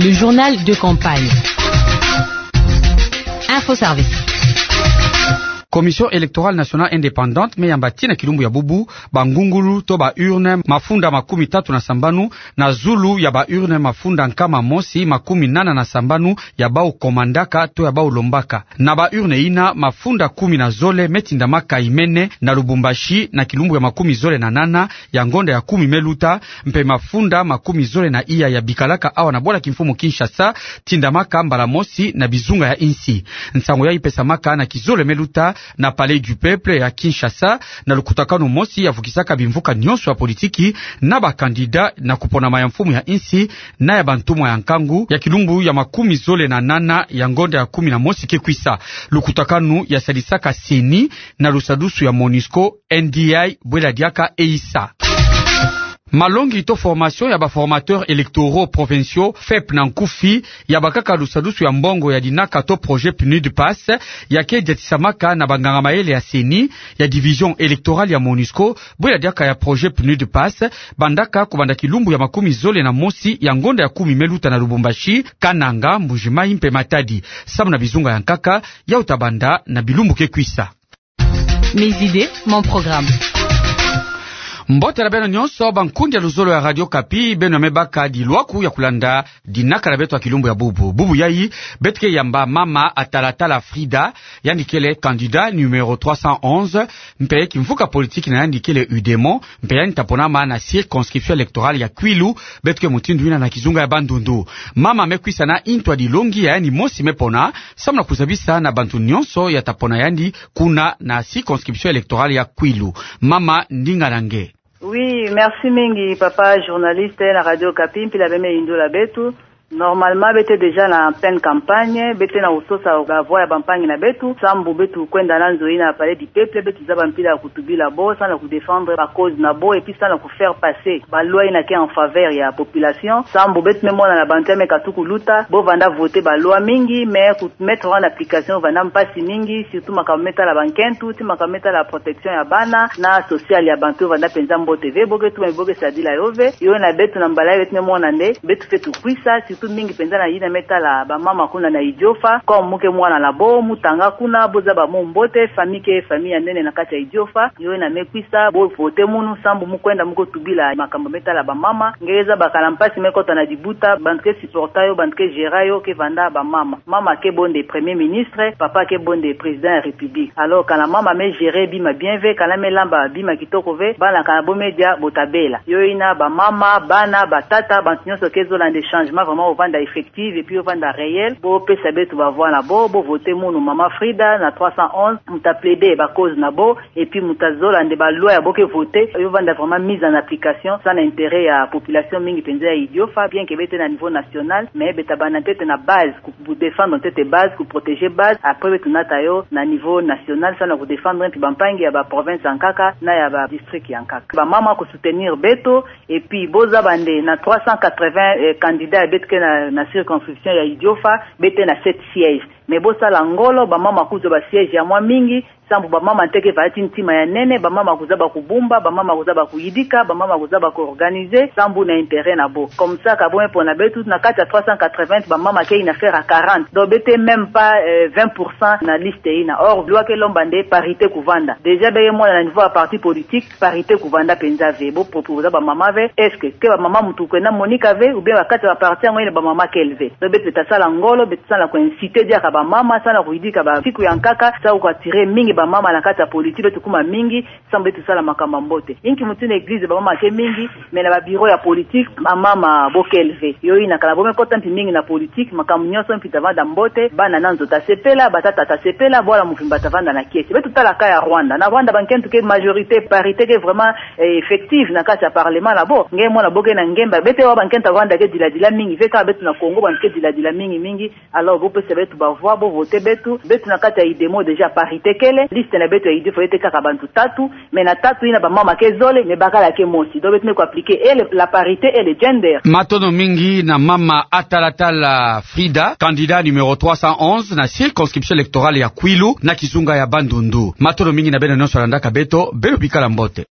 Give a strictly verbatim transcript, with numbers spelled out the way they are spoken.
Le journal de campagne. Info Service. Commission électorale nationale indépendante me yamba tii na kilumbu ya bubu bangungulu to ba urne mafunda makumi tatu na sambanu na zulu ya ba urne mafunda nkama mosi makumi nana na sambanu ya bau komandaka to ya bau lombaka. Na ba urne ina, mafunda kumi na zole me tindamaka imene na Lubumbashi na kilumbu ya makumi zole na nana ya ngonda ya kumi me luta, mpe mafunda makumi zole na iya ya bikalaka awa na bwala kimfumu Kinshasa tindamaka mbala mosi na bizunga ya insi. Nsangu yayi pesamaka na kizole me luta na Palais du Peuple ya Kinshasa, na lukutakanu mosi ya vukisaka bimvuka nyonso ya politiki na ba candidat na kuponama ya mfumu ya insi na ya bantumwa ya nkangu ya kilumbu ya makumi zole na nana ya ngonda ya kumi na mosi ke kwisa. Lukutakanu ya sadisaka CENI na lusadusu ya MONUSCO, NDI, bwela diaka eisa. Malongi to formation ya ba formateurs électoraux provinciaux, FEP na nkufi, ya bakaka lusadusu ya mbongo ya dinaka to projet PNUD PASS, ya ke diatisamaka na banganga mayele ya CENI, ya division électorale ya MONUSCO, bwela diaka ya projet PNUD PASS, bandaka kubanda kilumbu ya makumi zole na mosi ya ngonda ya kumi me luta na Lubumbashi, Kananga, Mbuji-Mayi mpe Matadi. Samu na bizunga ya nkaka, yau tabanda na bilumbu ke kwisa. Mes idées, mon programme. Mbote na beno nyonso, bankundi ya luzolo ya Radio Okapi, beno ya me baka dilwaku ya kulanda dinaka na beto ya kilumbu ya bubu. Bubu yayi, beto ke yamba mama Atalatala Frida, yandi kele candidat numéro trois cent onze, mpe kimvuka politiki na yandi kele UDEMO, mpe yandi taponama na circonscription électorale ya Kwilu, beto ke mutindu ina na kizunga ya Bandundu. Mama me kwisa na ntu ya dilongi ya yandi mosi me pona, samu na kuzabisa na bantu nyonso ya tapona yandi kuna na circonscription électorale ya Kwilu. Mama, ndinga na nge. Oui, merci mingi, papa journaliste na Radio Okapi, mpila bie me yindula beto. Normalement, beto ke déjà na pleine campagne, beto ke na kusosa ba voix ya bampangi na beto, sambu beto kwenda na nzo ina Palais du Peuple, beto zaba mpila ya kutubila bo, samu na kudéfendre ba cause na bo, et puis samu na kufaire passer ba loi ina ke en faveur ya population, sambu beto me mona na bantu ya me katuka kuluta, bo vanda voter ba loi mingi, mais kumettre en application vanda mpasi mingi, surtout makambu me tala bankento, ti makambu me tala protection ya bana, na social ya bantu vanda penza mbote ve, bo ke tuma, bo ke sadila yo ve, yo ina beto na mbala yayi beto me mona nde, beto fweti kwisa, surtout mingi penza na yina me tala bamama kuna na Idiofa, comme mu ke mwana na bo, mu tanga kuna, bo zaba mu mbote, famille ke famille ya nene na kati ya Idiofa, yo ina me kwisa, bo voter munu, sambu mu kwenda mu kotubila makambu me tala bamama, nge ke zabaka na mpasi me kota na dibuta, bantu ke supporter yo, bantu ke gérer yo, ke vanda bamama. Mama ke bo nde Premier Ministre, papa ke bo nde Président ya République. Alors, kana mama me gérer bima bien ve, kana me lamba bima kitoko ve, bana kana bo me dia bo tabela. Yo ina bamama, bana, batata, bantu nyonso ke zola nde changement vraiment yo vanda effective, et puis yo vanda réel, bo pesa beto ba voix na bo, bo voter munu mama Frida na trois cent onze, mu ta plaider ba cause na bo, et puis mu ta zola nde ba loi ya bo ke voter, yo vanda vraiment mise en application, samu na intérêt ya population mingi penza ya Idiofa, bien que beto ke na niveau national, mais beto tabanda ntete na base, ku, kudéfendre ntete base, kuprotéger base, après beto nata yo na niveau national, samu na kudéfendre mpi bampangi ya ba province ya nkaka, na ya ba district ya nkaka. Bamama kusoutenir beto, et puis bo zaba nde na trois cent quatre-vingts, eh, candidats ya beto ke na, na circonscription ya Idiofa, beto ke na sept sièges. Mais bo sala ngolo, bamama kuzwa ba sièges ya mwa mingi, sambu bamama nde ke vanda ti ntima ya nene, bamama kuzaba kubumba, bamama kuzaba kuyidika, bamama kuzaba kuorganiser, sambu na intérêt na bo. Comme ça, ka bo me pona beto, na kati ya trois cent quatre-vingts, bamama ke inafera quarante. Donc, beto ke même pas, euh, vingt pour cent na liste ina. Or, loi ke lomba nde parité kuvanda. Déjà, bie ke mona na niveau ya parti politique, parité kuvanda penza ve. Bo proposer bamama ve, est-ce que ke bamama mutu kwenda monika ve, ou bien ba kati ya ba parti yango ina bamama kele ve. Donc, beto ta sala ngolo, beto samu na ku inciter diaka bamama, samu na kuyidika ba siku ya nkaka, samu ku attirer mingi bamama na kati ya politique, beto kuma mingi, sambu beto sala makambu ya mbote. Inki mutindu église bamama ke mingi, mais na ba bureau ya politique, bamama bo kele ve. Yo ina kana bo me kota mpi mingi na politique, makambu nyonso mpi ta vanda mbote, bana na nzo ta sepela, batata ta sepela, bwala mvimba ta vanda na kiese. Beto tala cas ya Rwanda. Na Rwanda bankento ke majorité, parité ke vraiment, eh, effective na kati ya parlement na bo. Nge mona bo ke na ngemba. Beto wa bankento ya Rwanda ke dila dila mingi ve, kaka beto na Congo, bantu ke dila dila mingi mingi. Alors, bo pesa beto ba voix, bo voter beto. Beto na kati ya UDEMO déjà parité kele. Liste na beto ya UDEMO fwete kaka bantu tatu. Mais na tatu ina bamama ke zole, mais bakala ke mosi. Donc, beto me ku appliquer et le, la parité et le gender. Matondo mingi na mama Atalatala Frida, candidat numéro trois cent onze na circonscription électorale ya Kwilu, na kizunga ya Bandundu. Matondo mingi na beno nyonso landaka beto, beno bikala mbote.